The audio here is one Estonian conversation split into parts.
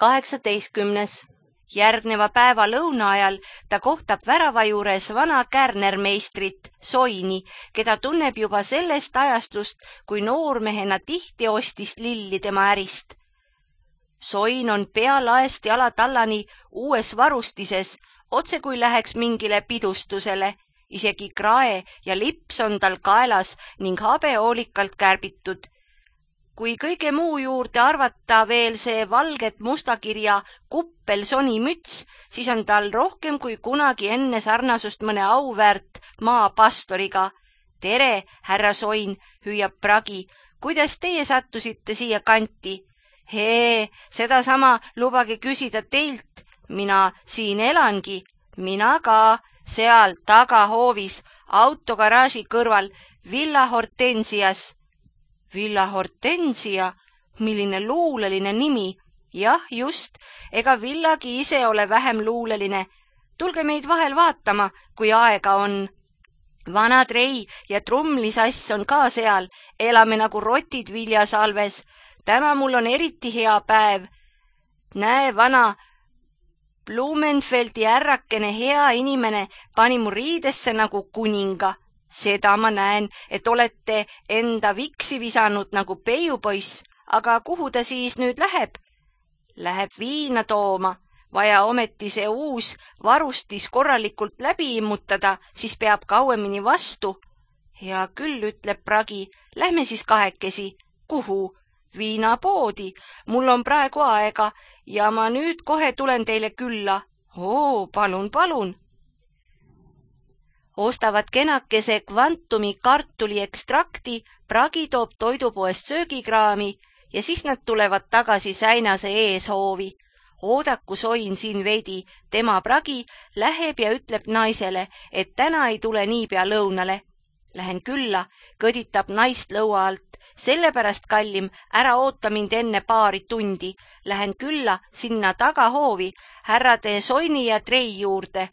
18. Järgneva päeva lõuna ajal ta kohtab värava juures vana kärnermeistrit Soini, keda tunneb juba sellest ajastust, kui noormehena tihti ostis lilli tema ärist. Soin on pea laest jalatallani uues varustises, otse kui läheks mingile pidustusele. Isegi krae ja lips on tal kaelas ning habe hoolikalt kärbitud. Kui kõige muu juurde arvata veel see valget mustakirja kuppelsoni müts, siis on tal rohkem kui kunagi enne sarnasust mõne auväärt maapastoriga. Tere, härra Soin, hüüab Pragi. Kuidas teie sattusite siia kanti? Sedasama lubage küsida teilt. Mina siin elangi. Mina ka. Seal tagahoovis, autogaraaži kõrval, Villa Hortensias. Villa Hortensia? Milline luuleline nimi? Jah, just, ega villagi ise ole vähem luuleline. Tulge meid vahel vaatama, kui aega on. Vana trei ja trumlisass on ka seal. Elame nagu rotid viljasalves. Täna mul on eriti hea päev. Näe, vana Blumenfeldi ärrakene hea inimene pani mu riidesse nagu kuninga. Seda ma näen, et olete enda viksi visanud nagu peiupoiss, aga kuhu ta siis nüüd läheb? Läheb viina tooma. Vaja ometi see uus varustis korralikult läbi immutada, siis peab kauemini vastu. Hea küll, ütleb Pragi, lähme siis kahekesi. Kuhu? Viinapoodi. Mul on praegu aega ja ma nüüd kohe tulen teile külla. Palun, palun. Ostavad kenakese kvantumi kartuli ekstrakti, Pragi toob toidupoest söögikraami ja siis nad tulevad tagasi Säinase eeshoovi. Oodaku Soin siin veidi, tema Pragi läheb ja ütleb naisele, et täna ei tule niipea lõunale. Lähen külla, kõditab naist lõua alt. Sellepärast, kallim, ära oota mind enne paari tundi. Lähen külla sinna tagahoovi, härrade Soini ja Trei juurde.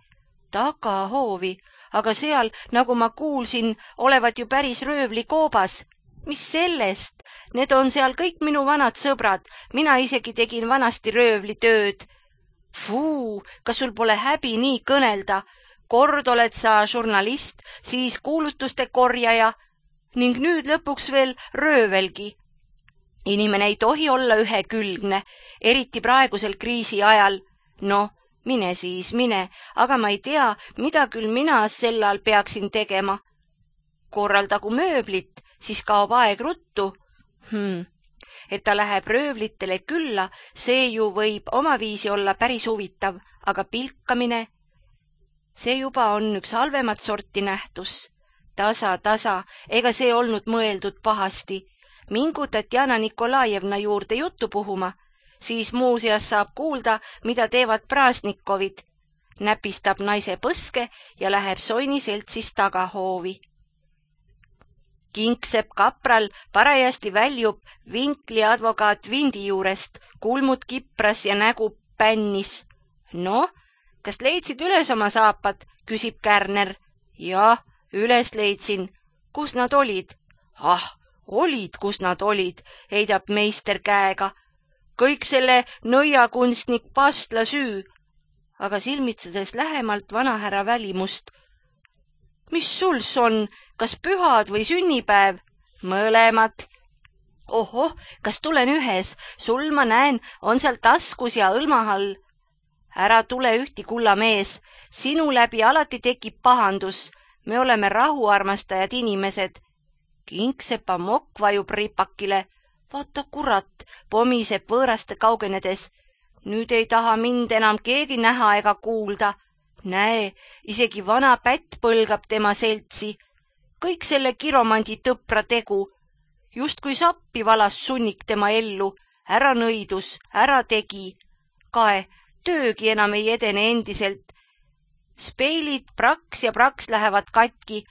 Tagahoovi? Aga seal, nagu ma kuulsin, olevat ju päris röövlikoobas. Mis sellest? Need on seal kõik minu vanad sõbrad. Mina isegi tegin vanasti röövlitööd. Kas sul pole häbi nii kõnelda? Kord oled sa žurnalist, siis kuulutuste korjaja ning nüüd lõpuks veel röövelgi. Inimene ei tohi olla ühekülgne, eriti praegusel kriisi ajal. Mine siis, mine, aga ma ei tea, mida küll mina sellal peaksin tegema. Korraldagu mööblit, siis kaob aeg ruttu. Et ta läheb röövlitele külla, see ju võib omaviisi olla päris huvitav, aga pilkamine, see juba on üks halvemat sorti nähtus. Tasa, ega see olnud mõeldud pahasti. Mingu Tatjana Nikolajevna juurde juttu puhuma, siis muuseas saab kuulda, mida teevad Praasnikovid. Näpistab naise põske ja läheb Soini seltsis tagahoovi. Kingsepp kapral parajasti väljub Vinkli advokaat Vindi juurest, kulmud kipras ja nägu pännis. Kas leidsid üles oma saapad, küsib Kärner. Jah, üles leidsin. Kus nad olid? Olid, kus nad olid, heidab meister käega. Kõik selle nõiakunstnik Pastla süü. Aga silmitsedes lähemalt vanahärra välimust. Mis suls on, kas pühad või sünnipäev? Mõlemad. Kas tulen ühes? Sul ma näen, on seal taskus ja õlmahall. Ära tule ühti, kullamees. Sinu läbi alati tekib pahandus. Me oleme rahuarmastajad inimesed. Kingsepa mokk vajub ripakile. Vaata kurat, pomiseb võõraste kaugenedes. Nüüd ei taha mind enam keegi näha ega kuulda. Näe, isegi vana pätt põlgab tema seltsi. Kõik selle kiromandi tõpra tegu. Just kui sappi valas sunnik tema ellu. Ära nõidus, ära tegi. Kae, töögi enam ei edene endiselt. Speilid praks ja praks lähevad katki.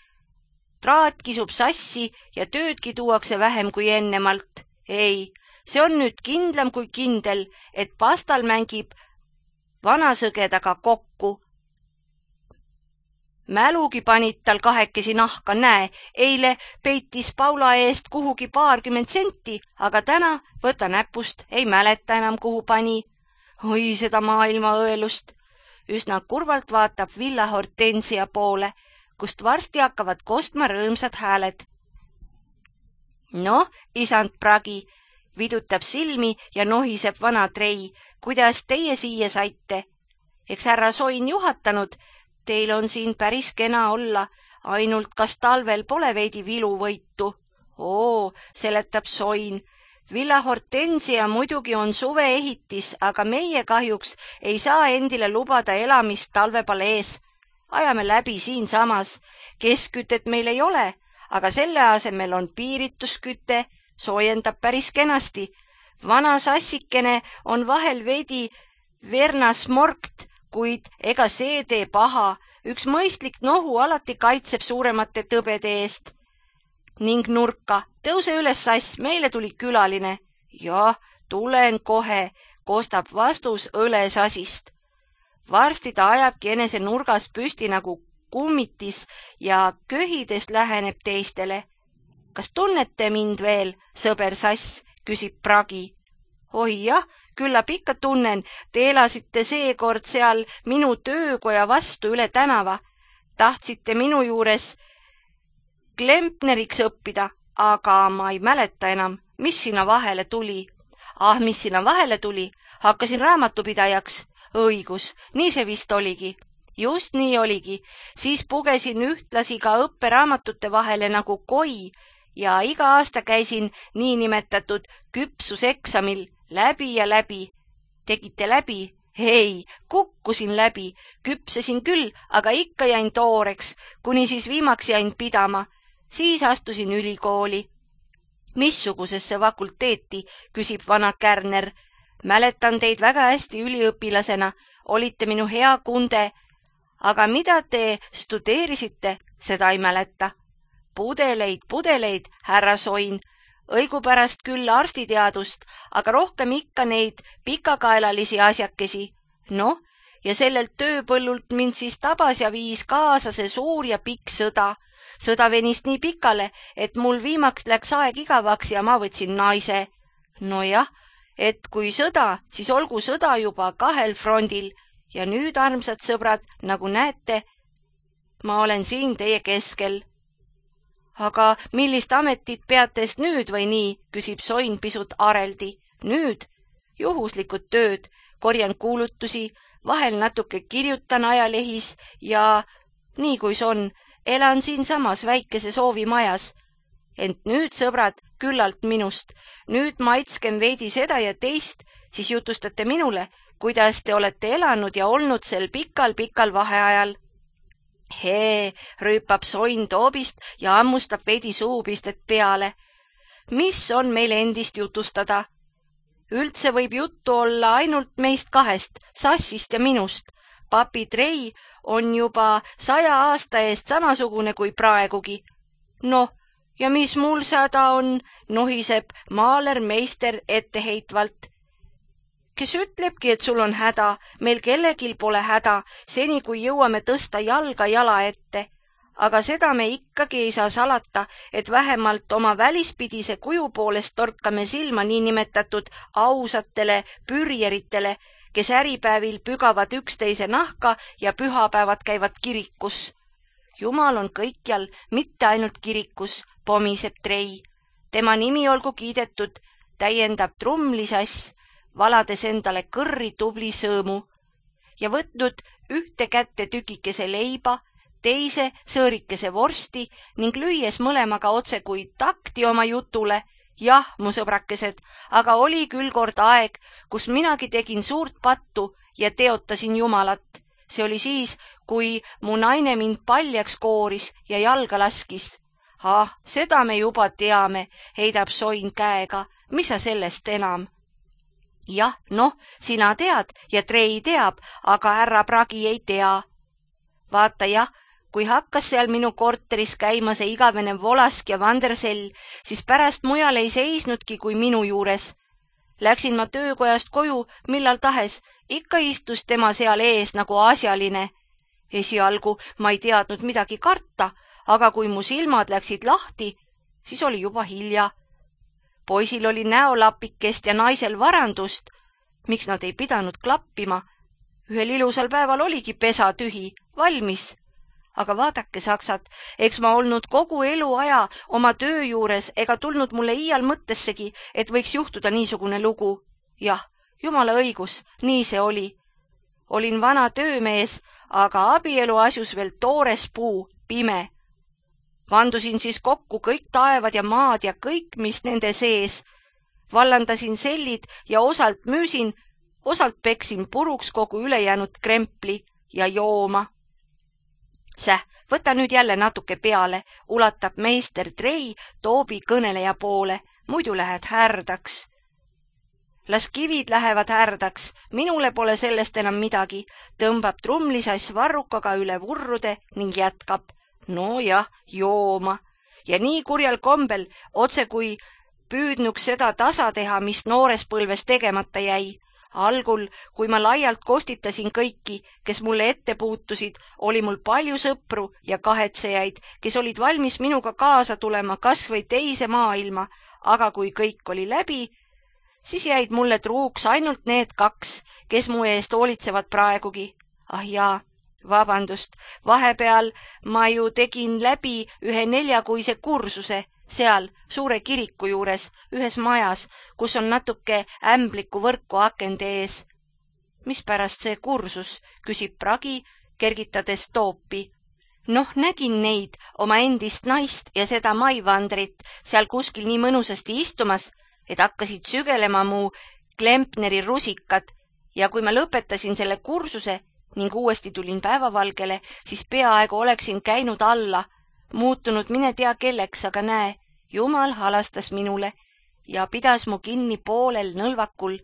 Traat kisub sassi ja töödki tuuakse vähem kui ennemalt. Ei, see on nüüd kindlam kui kindel, et Pastal mängib vanasõgedaga kokku. Mälugi panid tal kahekesi nahka, näe, eile peitis Paula eest kuhugi 20 senti, aga täna võta näpust, ei mäleta enam kuhu pani. oi seda maailma õelust. Üsna kurvalt vaatab Villa Hortensia poole, kust varsti hakkavad kostma rõõmsad hääled. Noh, isand Pragi, vidutab silmi ja nohiseb vana Trei, kuidas teie siia saite? Eks härra Soin juhatanud, teil on siin päris kena olla, ainult kas talvel pole veidi viluvõitu? Oo, seletab Soin. Villa Hortensia muidugi on suveehitis, aga meie kahjuks ei saa endile lubada elamist talvepalees. Ajame läbi siinsamas. Keskkütet meil ei ole, aga selle asemel on piiritusküte, soojendab päris kenasti. Vana sassikene on vahel veidi vernasmorkt, kuid ega see tee paha. Üks mõistlik nohu alati kaitseb suuremate tõbede eest. Ning nurka, tõuse üles sass, meile tuli külaline. Jah, tulen kohe, kostab vastus õlesasist. Varsti ta ajabki enese nurgas püsti nagu kummitis ja köhides läheneb teistele. Kas tunnete mind veel, sõber sass, küsib Pragi. Oi jah, küllap ikka tunnen, te elasite seekord seal minu töökoja vastu üle tänava. Tahtsite minu juures klempneriks õppida, aga ma ei mäleta enam, mis sinna vahele tuli. Mis sinna vahele tuli? Hakkasin raamatupidajaks. Õigus, nii see vist oligi. Just nii oligi. Siis pugesin ühtlasi ka õpperaamatute vahele nagu koi ja iga aasta käisin niinimetatud küpsuseksamil läbi ja läbi. Tegite läbi? Ei, kukkusin läbi. Küpsesin küll, aga ikka jäin tooreks, kuni siis viimaks jäin pidama. Siis astusin ülikooli. Missugusesse fakulteeti, küsib vana Kärner. Mäletan teid väga hästi üliõpilasena, olite minu hea kunde. Aga mida te studeerisite, seda ei mäleta. Pudeleid, härra Soin. Õigupärast küll arstiteadust, aga rohkem ikka neid pikakaelalisi asjakesi. Noh, ja sellelt tööpõllult mind siis tabas ja viis kaasa see suur ja pikk sõda. Sõda venis nii pikale, et mul viimaks läks aeg igavaks ja ma võtsin naise. Nojah, et kui sõda, siis olgu sõda juba 2 frondil. Ja nüüd, armsad sõbrad, nagu näete, ma olen siin teie keskel. Aga millist ametit peatest nüüd või nii, küsib Soin pisut areldi. Nüüd? Juhuslikud tööd, korjan kuulutusi, vahel natuke kirjutan ajalehis ja nii kuis on, elan siinsamas väikeses hoovimajas. Ent nüüd, sõbrad, küllalt minust. Nüüd maitskem veidi seda ja teist, siis jutustate minule, kuidas te olete elanud ja olnud sel pikal vaheajal. Hee, rüüpab Soin toobist ja ammustab veidi suupistet peale. Mis on meil endist jutustada? Üldse võib juttu olla ainult meist 2, Sassist ja minust. Papi Trei on juba 100 aasta eest samasugune kui praegugi. Noh, ja mis mul häda on, nohiseb maalermeister etteheitvalt. Kes ütlebki, et sul on häda, meil kellegil pole häda, seni kui jõuame tõsta jalga jala ette. Aga seda me ikkagi ei saa salata, et vähemalt oma välispidise kuju poolest torkame silma niinimetatud ausatele pürjeritele, kes äripäevil pügavad üksteise nahka ja pühapäevad käivad kirikus. Jumal on kõikjal, mitte ainult kirikus, pomiseb Trei. Tema nimi olgu kiidetud, täiendab trumlisass, valades endale kõrri tubli sõõmu ja võtnud ühte kätte tükikese leiba, teise sõõrikese vorsti ning lüües mõlemaga otse kui takti oma jutule. Jah, mu sõbrakesed, aga oli küll kord aeg, kus minagi tegin suurt pattu ja teotasin Jumalat. See oli siis, kui mu naine mind paljaks kooris ja jalga laskis. Seda me juba teame, heidab Soin käega. Mis sa sellest enam? Jah, noh, sina tead ja Trei teab, aga härra Pragi ei tea. Vaata jah, kui hakkas seal minu korteris käima see igavene Volask ja Vandersell, siis pärast mujal ei seisnudki kui minu juures. Läksin ma töökojast koju, millal tahes, ikka istus tema seal ees nagu asjaline. Esialgu ma ei teadnud midagi karta, aga kui mu silmad läksid lahti, siis oli juba hilja. Poisil oli näolapikest ja naisel varandust. Miks nad ei pidanud klappima? Ühel ilusal päeval oligi pesa tühi, valmis. Aga vaadake, saksad, eks ma olnud kogu eluaja oma töö juures ega tulnud mulle iial mõttessegi, et võiks juhtuda niisugune lugu. Jah, jumala õigus, nii see oli. Olin vana töömees, aga abielu asjus veel toores puu, pime. Vandusin siis kokku kõik taevad ja maad ja kõik, mis nende sees. Vallandasin sellid ja osalt müüsin, osalt peksin puruks kogu ülejäänud krempli ja jooma. Võta nüüd jälle natuke peale, ulatab meister Trei Toobi kõneleja poole, muidu lähed härdaks. Las kivid lähevad härdaks, minule pole sellest enam midagi, tõmbab trumlisass varrukaga üle vurrude ning jätkab. No jah, jooma. Ja nii kurjal kombel, otse kui püüdnuks seda tasa teha, mis noores põlves tegemata jäi. Algul, kui ma laialt kostitasin kõiki, kes mulle ette puutusid, oli mul palju sõpru ja kahetsejaid, kes olid valmis minuga kaasa tulema kas või teise maailma, aga kui kõik oli läbi, siis jäid mulle truuks ainult need 2, kes mu eest hoolitsevad praegugi. Ah jaa, vabandust, vahepeal ma ju tegin läbi ühe 4-kuise kursuse, seal suure kiriku juures, ühes majas, kus on natuke ämbliku võrku akende ees. Mispärast see kursus, küsib Pragi, kergitades Toopi. Noh, nägin neid, oma endist naist ja seda maivandrit seal kuskil nii mõnusasti istumas, et hakkasid sügelema mu Klempneri rusikad ja kui ma lõpetasin selle kursuse ning uuesti tulin päevavalgele, siis peaaegu oleksin käinud alla, muutunud mine tea kelleks, aga näe, Jumal halastas minule ja pidas mu kinni poolel nõlvakul.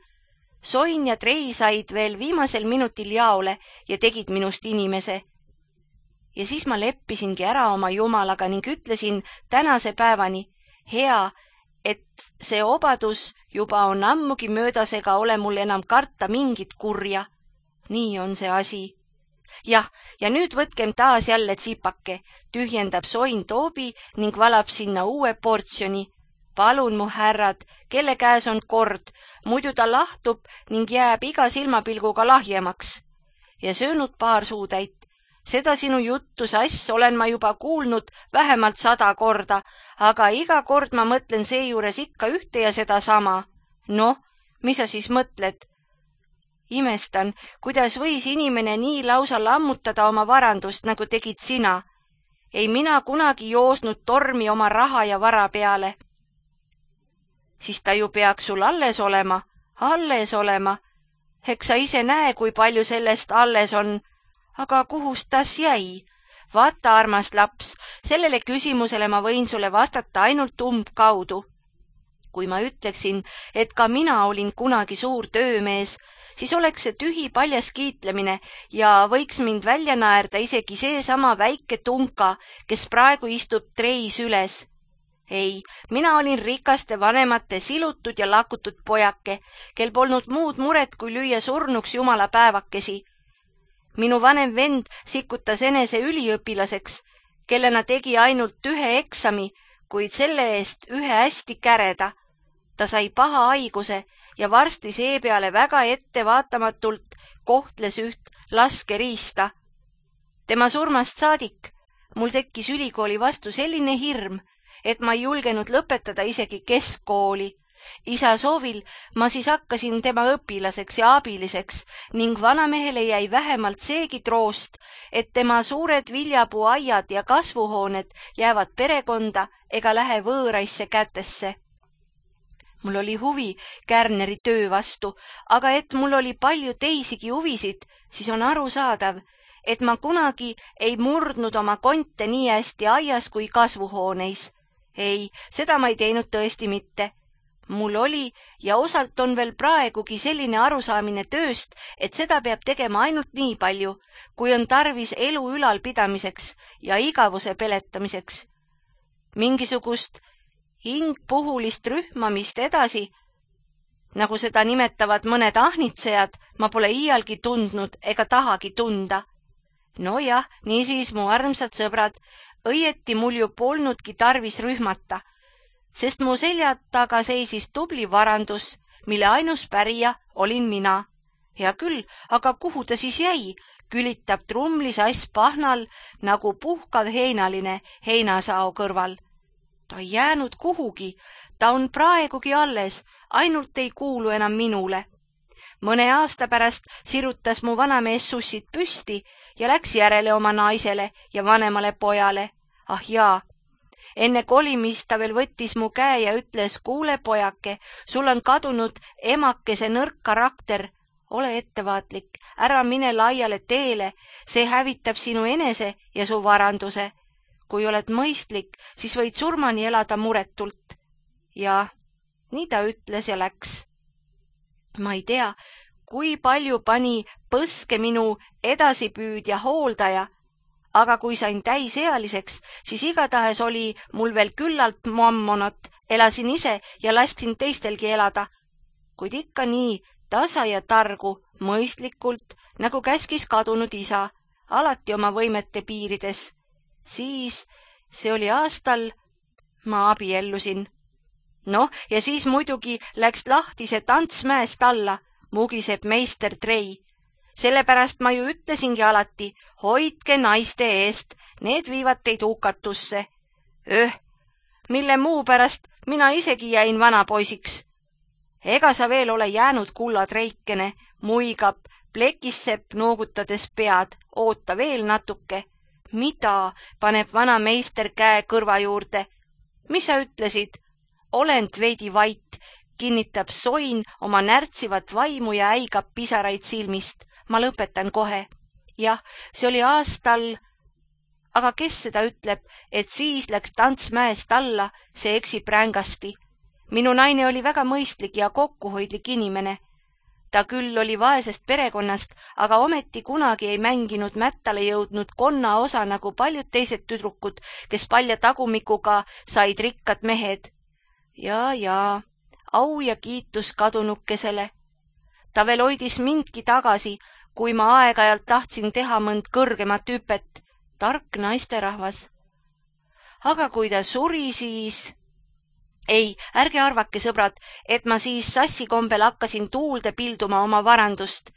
Soin ja Trei said veel viimasel minutil jaole ja tegid minust inimese. Ja siis ma leppisingi ära oma Jumalaga ning ütlesin tänase päevani, hea, et see obadus juba on ammugi möödas ega ole mul enam karta mingit kurja. Nii on see asi. Jah, ja nüüd võtkem taas jälle tsipake, tühjendab Soin Toobi ning valab sinna uue portsjoni. Palun mu härrad, kelle käes on kord, muidu ta lahtub ning jääb iga silmapilguga lahjemaks. Ja söönud paar suutäit. Seda sinu juttu, sass, olen ma juba kuulnud vähemalt 100 korda, aga iga kord ma mõtlen seejuures ikka ühte ja seda sama. Noh, mis sa siis mõtled? Imestan, kuidas võis inimene nii lausa lammutada oma varandust, nagu tegid sina. Ei mina kunagi joosnud tormi oma raha ja vara peale. Siis ta ju peaks sul alles olema. Eks sa ise näe, kui palju sellest alles on. Aga kuhust tas jäi? Vaata, armas laps, sellele küsimusele ma võin sulle vastata ainult umbkaudu. Kui ma ütleksin, et ka mina olin kunagi suur töömees, siis oleks see tühi paljas kiitlemine ja võiks mind välja naerda isegi seesama väike tunka, kes praegu istub Treis üles. Ei, mina olin rikaste vanemate silutud ja lakutud pojake, kel polnud muud muret kui lüüa surnuks jumala päevakesi. Minu vanem vend sikutas enese üliõpilaseks, kellena tegi ainult 1 eksami, kuid selle eest 1 hästi käreda. Ta sai paha haiguse ja varsti seepeale väga ettevaatamatult kohtles üht laskeriista. Tema surmast saadik mul tekkis ülikooli vastu selline hirm, et ma ei julgenud lõpetada isegi keskkooli. Isa soovil ma siis hakkasin tema õpilaseks ja abiliseks ning vanamehele jäi vähemalt seegi troost, et tema suured viljapuuaiad ja kasvuhooned jäävad perekonda ega lähe võõraisse kätesse. Mul oli huvi Kärneri töö vastu, aga et mul oli palju teisigi huvisid, siis on arusaadav, et ma kunagi ei murdnud oma konte nii hästi aias kui kasvuhooneis. Ei, seda ma ei teinud tõesti mitte. Mul oli ja osalt on veel praegugi selline arusaamine tööst, et seda peab tegema ainult nii palju, kui on tarvis elu ülalpidamiseks ja igavuse peletamiseks. Mingisugust hingpuhulist rühmamist edasi, nagu seda nimetavad mõned ahnitsejad, ma pole iialgi tundnud ega tahagi tunda. No jah, niisiis, mu armsad sõbrad, õieti mul ju polnudki tarvis rühmata, sest mu selja taga seisis tubli varandus, mille ainus pärija olin mina. Hea küll, aga kuhu ta siis jäi? Külitab trumlisass pahnal nagu puhkav heinaline heinasao kõrval. Ta ei jäänud kuhugi, ta on praegugi alles, ainult ei kuulu enam minule. Mõne aasta pärast sirutas mu vanamees sussid püsti ja läks järele oma naisele ja vanemale pojale. Ah jaa, enne kolimist ta veel võttis mu käe ja ütles, kuule pojake, sul on kadunud emakese nõrk karakter. Ole ettevaatlik, ära mine laiale teele, see hävitab sinu enese ja su varanduse. Kui oled mõistlik, siis võid surmani elada muretult. Ja nii ta ütles ja läks. Ma ei tea, kui palju pani põske minu edasipüüdja hooldaja, aga kui sain täisealiseks, siis igatahes oli mul veel küllalt mammonat, elasin ise ja lasksin teistelgi elada. Kuid ikka nii tasa ja targu, mõistlikult, nagu käskis kadunud isa, alati oma võimete piirides. Siis, see oli aastal, ma abiellusin. Noh, ja siis muidugi läks lahti see tants mäest alla, mugiseb meister Trei. Sellepärast ma ju ütlesingi alati, hoidke naiste eest, need viivad teid hukatusse. Mille muu pärast mina isegi jäin vanapoisiks. Ega sa veel ole jäänud, kullatreikene, muigab, plekissepp noogutades pead, oota veel natuke. Mida, paneb vana meister käe kõrva juurde. Mis sa ütlesid? Olend veidi vait, kinnitab soin oma närtsivat vaimu ja äigab pisaraid silmist. Ma lõpetan kohe. Jah, see oli aastal, aga kes seda ütleb, et siis läks tants mäest alla, see eksib rängasti. Minu naine oli väga mõistlik ja kokkuhoidlik inimene. Ta küll oli vaesest perekonnast, aga ometi kunagi ei mänginud mättale jõudnud konna osa nagu paljud teised tüdrukud, kes palja tagumikuga said rikkad mehed. Ja, au ja kiitus kadunukesele. Ta veel hoidis mindki tagasi, kui ma aeg-ajalt tahtsin teha mõnd kõrgemat hüpet. Tark naisterahvas. Aga kui ta suri, siis... Ei, ärge arvake, sõbrad, et ma siis sassikombel hakkasin tuulde pilduma oma varandust.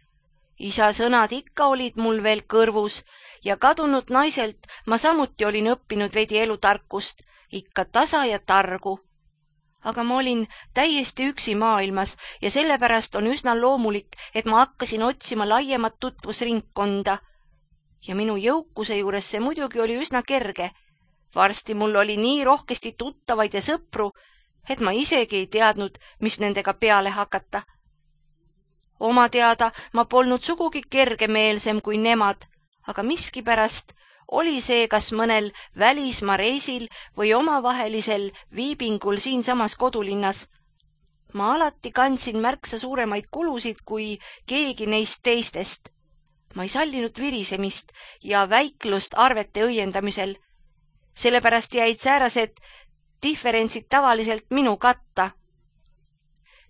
Isa sõnad ikka olid mul veel kõrvus ja kadunud naiselt ma samuti olin õppinud veidi elutarkust, ikka tasa ja targu. Aga ma olin täiesti üksi maailmas ja sellepärast on üsna loomulik, et ma hakkasin otsima laiemat tutvusringkonda. Ja minu jõukuse juures see muidugi oli üsna kerge. Varsti mul oli nii rohkesti tuttavaid ja sõpru, et ma isegi ei teadnud, mis nendega peale hakata. Oma teada ma polnud sugugi kergemeelsem kui nemad, aga miskipärast oli see kas mõnel välismaa reisil või omavahelisel viibingul siinsamas kodulinnas. Ma alati kandsin märksa suuremaid kulusid kui keegi neist teistest. Ma ei sallinud virisemist ja väiklust arvete õiendamisel. Sellepärast jäid säärased differentsid tavaliselt minu katta.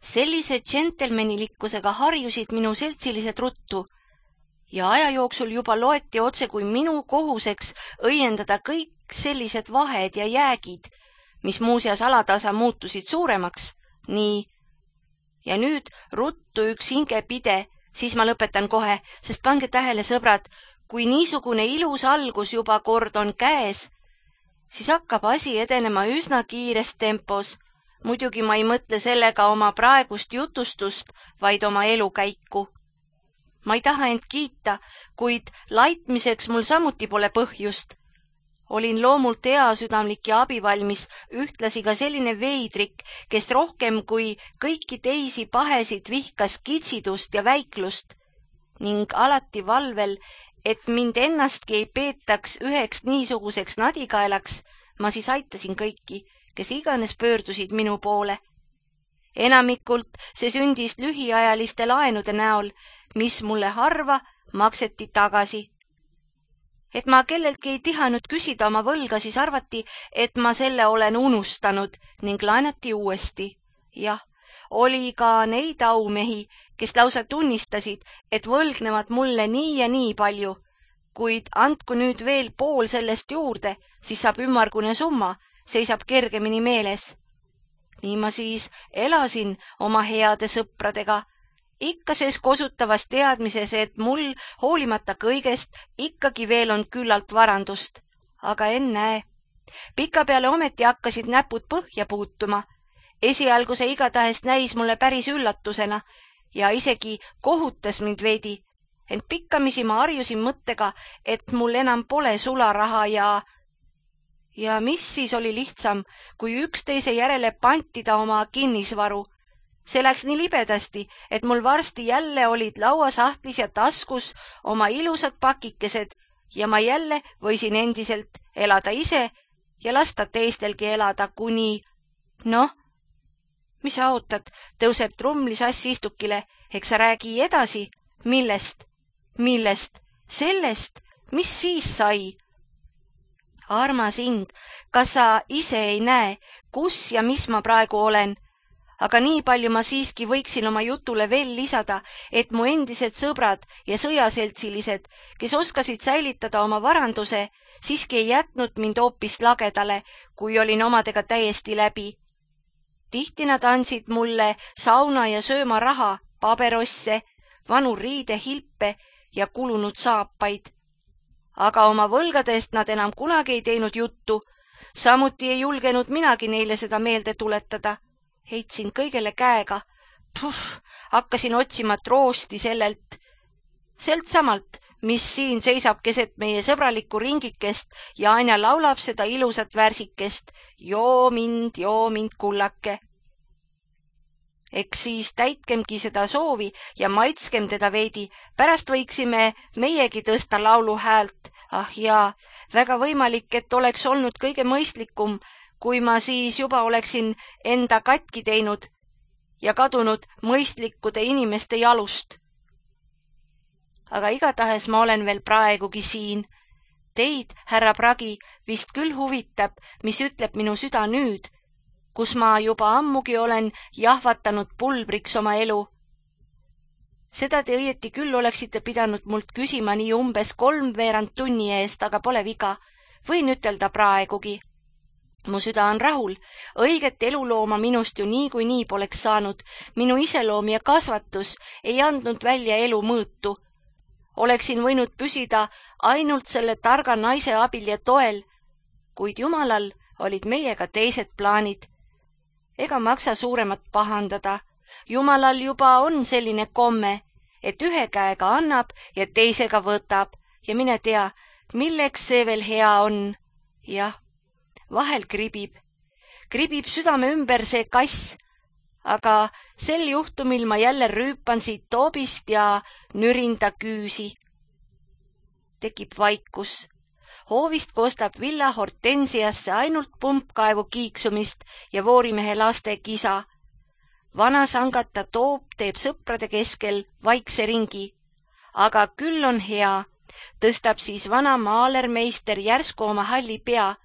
Sellise džentelmenilikkusega harjusid minu seltsilised ruttu ja aja jooksul juba loeti otse kui minu kohuseks õiendada kõik sellised vahed ja jäägid, mis muuseas alatasa muutusid suuremaks. Nii. Ja nüüd ruttu üks hingepide, siis ma lõpetan kohe, sest pange tähele, sõbrad, kui niisugune ilus algus juba kord on käes, siis hakkab asi edenema üsna kiires tempos. Muidugi ma ei mõtle sellega oma praegust jutustust, vaid oma elukäiku. Ma ei taha end kiita, kuid laitmiseks mul samuti pole põhjust. Olin loomult heasüdamlik ja abivalmis, ühtlasi ka selline veidrik, kes rohkem kui kõiki teisi pahesid vihkas kitsidust ja väiklust ning alati valvel, et mind ennastki ei peetaks üheks niisuguseks nadikaelaks, ma siis aitasin kõiki, kes iganes pöördusid minu poole. Enamikult see sündis lühiajaliste laenude näol, mis mulle harva makseti tagasi. Et ma kelleltki ei tihanud küsida oma võlga, siis arvati, et ma selle olen unustanud ning laenati uuesti. Jah, oli ka neid aumehi, kes lausa tunnistasid, et võlgnevad mulle nii ja nii palju, kuid andku nüüd veel pool sellest juurde, siis saab ümmargune summa, seisab kergemini meeles. Nii ma siis elasin oma heade sõpradega Ikka sees kosutavas teadmises, et mul hoolimata kõigest ikkagi veel on küllalt varandust. Aga ennäe. Pikapeale ometi hakkasid näpud põhja puutuma. Esialgu see igatahes näis mulle päris üllatusena ja isegi kohutas mind veidi. Ent pikkamisi ma harjusin mõttega, et mul enam pole sularaha ja mis siis oli lihtsam, kui üksteise järele pantida oma kinnisvaru. See läks nii libedasti, et mul varsti jälle olid lauasahtlis ja taskus oma ilusad pakikesed ja ma jälle võisin endiselt elada ise ja lasta teistelgi elada kuni... Noh, mis sa ootad, tõuseb trumlisass istukile, eks sa räägi edasi. Millest? Millest? Sellest? Mis siis sai? Armas hing, kas sa ise ei näe, kus ja mis ma praegu olen? Aga nii palju ma siiski võiksin oma jutule veel lisada, et mu endised sõbrad ja sõjaseltsilised, kes oskasid säilitada oma varanduse, siiski ei jätnud mind hoopis lagedale, kui olin omadega täiesti läbi. Tihti nad andsid mulle sauna ja sööma raha, paberosse, vanu riidehilpe ja kulunud saapaid. Aga oma võlgadest nad enam kunagi ei teinud juttu, samuti ei julgenud minagi neile seda meelde tuletada. Heitsin kõigele käega. Hakkasin otsima troosti sellelt samalt, mis siin seisab keset meie sõbralikku ringikest ja aina laulab seda ilusat värsikest. Joo mind, kullake. Eks siis täitkemgi seda soovi ja maitskem teda veidi. Pärast võiksime meiegi tõsta laulu häält. Ah jaa, väga võimalik, et oleks olnud kõige mõistlikum, kui ma siis juba oleksin enda katki teinud ja kadunud mõistlikkude inimeste jalust. Aga igatahes ma olen veel praegugi siin. Teid, härra Pragi, vist küll huvitab, mis ütleb minu süda nüüd, kus ma juba ammugi olen jahvatanud pulbriks oma elu. Seda te õieti küll oleksite pidanud mult küsima nii umbes 3/4 tunni eest, aga pole viga. Võin ütelda praegugi. Mu süda on rahul. Õiget elulooma minust ju nii poleks saanud. Minu iseloom ja kasvatus ei andnud välja elu mõõtu. Oleksin võinud püsida ainult selle targa naise abil ja toel, kuid Jumalal olid meiega teised plaanid. Ega maksa suuremat pahandada. Jumalal juba on selline komme, et ühe käega annab ja teisega võtab ja mine tea, milleks see veel hea on. Jah, vahel kribib südame ümber see kass, aga sel juhtumil ma jälle rüüpan siit toobist ja nürin ta küüsi. Tekib vaikus. Hoovist kostab villa hortensiasse ainult pumpkaevu kiiksumist ja voorimehe laste kisa. Vana sangata toob teeb sõprade keskel vaikse ringi. Aga küll on hea, tõstab siis vana maalermeister järsku oma halli pea,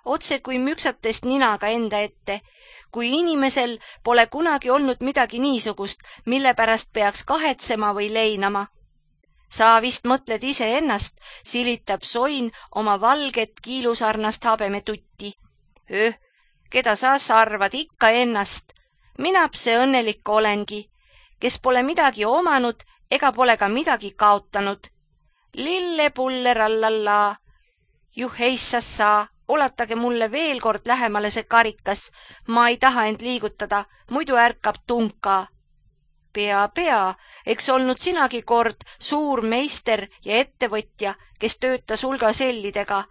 otse kui müksates ninaga enda ette, kui inimesel pole kunagi olnud midagi niisugust, mille pärast peaks kahetsema või leinama. Sa vist mõtled ise ennast, silitab soin oma valget kiilusarnast habemetutti. Keda sa arvad ikka ennast? Minap see õnnelik olengi, kes pole midagi omanud ega pole ka midagi kaotanud. Lille-pulle-rallallaa. Juheissassa, ulatage mulle veel kord lähemale see karikas. Ma ei taha end liigutada, muidu ärkab tunka. Pea, eks olnud sinagi kord suur meister ja ettevõtja, kes töötas hulga sellidega.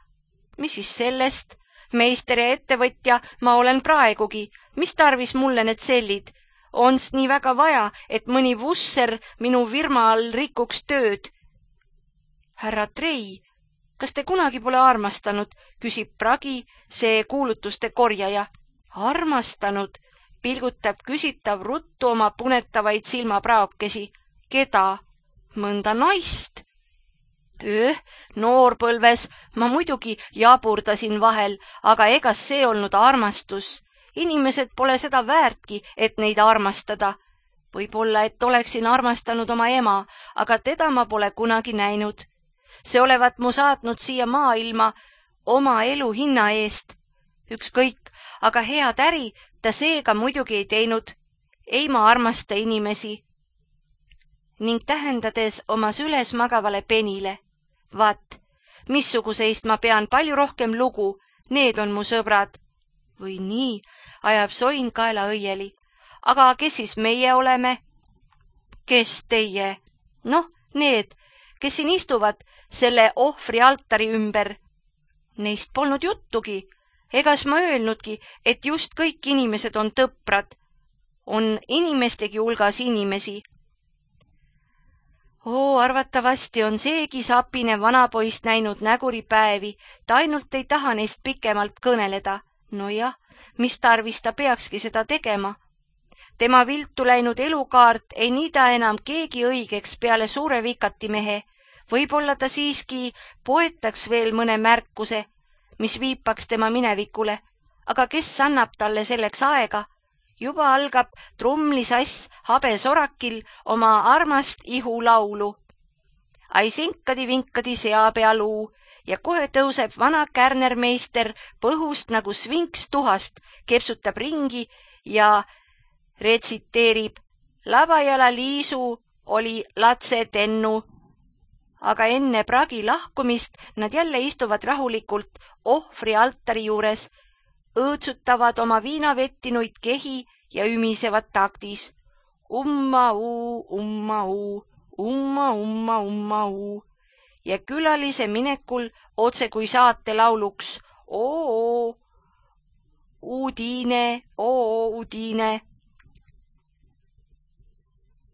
Mis siis sellest? Meister ja ettevõtja ma olen praegugi. Mis tarvis mulle need sellid? Ons nii väga vaja, et mõni vusser minu firma all rikuks tööd. Härra Trei, kas te kunagi pole armastanud, küsib Pragi, see kuulutuste korjaja. Armastanud? Pilgutab küsitav ruttu oma punetavaid silmapraokesi. Keda? Mõnda naist. Noorpõlves ma muidugi jaburdasin vahel, aga egas see olnud armastus. Inimesed pole seda väärtki, et neid armastada. Võib-olla, et oleksin armastanud oma ema, aga teda ma pole kunagi näinud. See olevat mu saatnud siia maailma oma elu hinna eest. Ükskõik, aga head äri ta seega muidugi ei teinud. Ei ma armasta inimesi. ning tähendades oma süles magavale penile. Vaat, missuguseist ma pean palju rohkem lugu, need on mu sõbrad. Või nii, ajab Soin kaela õieli. Aga kes siis meie oleme? Kes teie? Noh, need, kes siin istuvad selle ohvri altari ümber. Neist polnud juttugi. Egas ma öelnudki, et just kõik inimesed on tõprad. On inimestegi hulgas inimesi. Arvatavasti on seegi sapine vanapoist näinud näguripäevi, ta ainult ei taha neist pikemalt kõneleda. No jah, mis tarvis ta peakski seda tegema? Tema viltu läinud elukaart ei niida enam keegi õigeks peale suure vikatimehe. Võib-olla ta siiski poetaks veel mõne märkuse, mis viipaks tema minevikule, aga kes annab talle selleks aega? Juba algab trumlisass habesorakil oma armast ihulaulu. Ai sinkadi-vinkadi seapealuu ja kohe tõuseb vana kärnermeister põhust nagu svinks tuhast, kepsutab ringi ja retsiteerib Labajala Liisu oli latsetennu. Aga enne pragi lahkumist nad jälle istuvad rahulikult ohvri altari juures, õõtsutavad oma viinavettinuid kehi ja ümisevad taktis. Umma-uu, umma-uu, umma-umma-umma-uu. Ja külalise minekul otse kui saate lauluks oo, uudine, oo, uudine.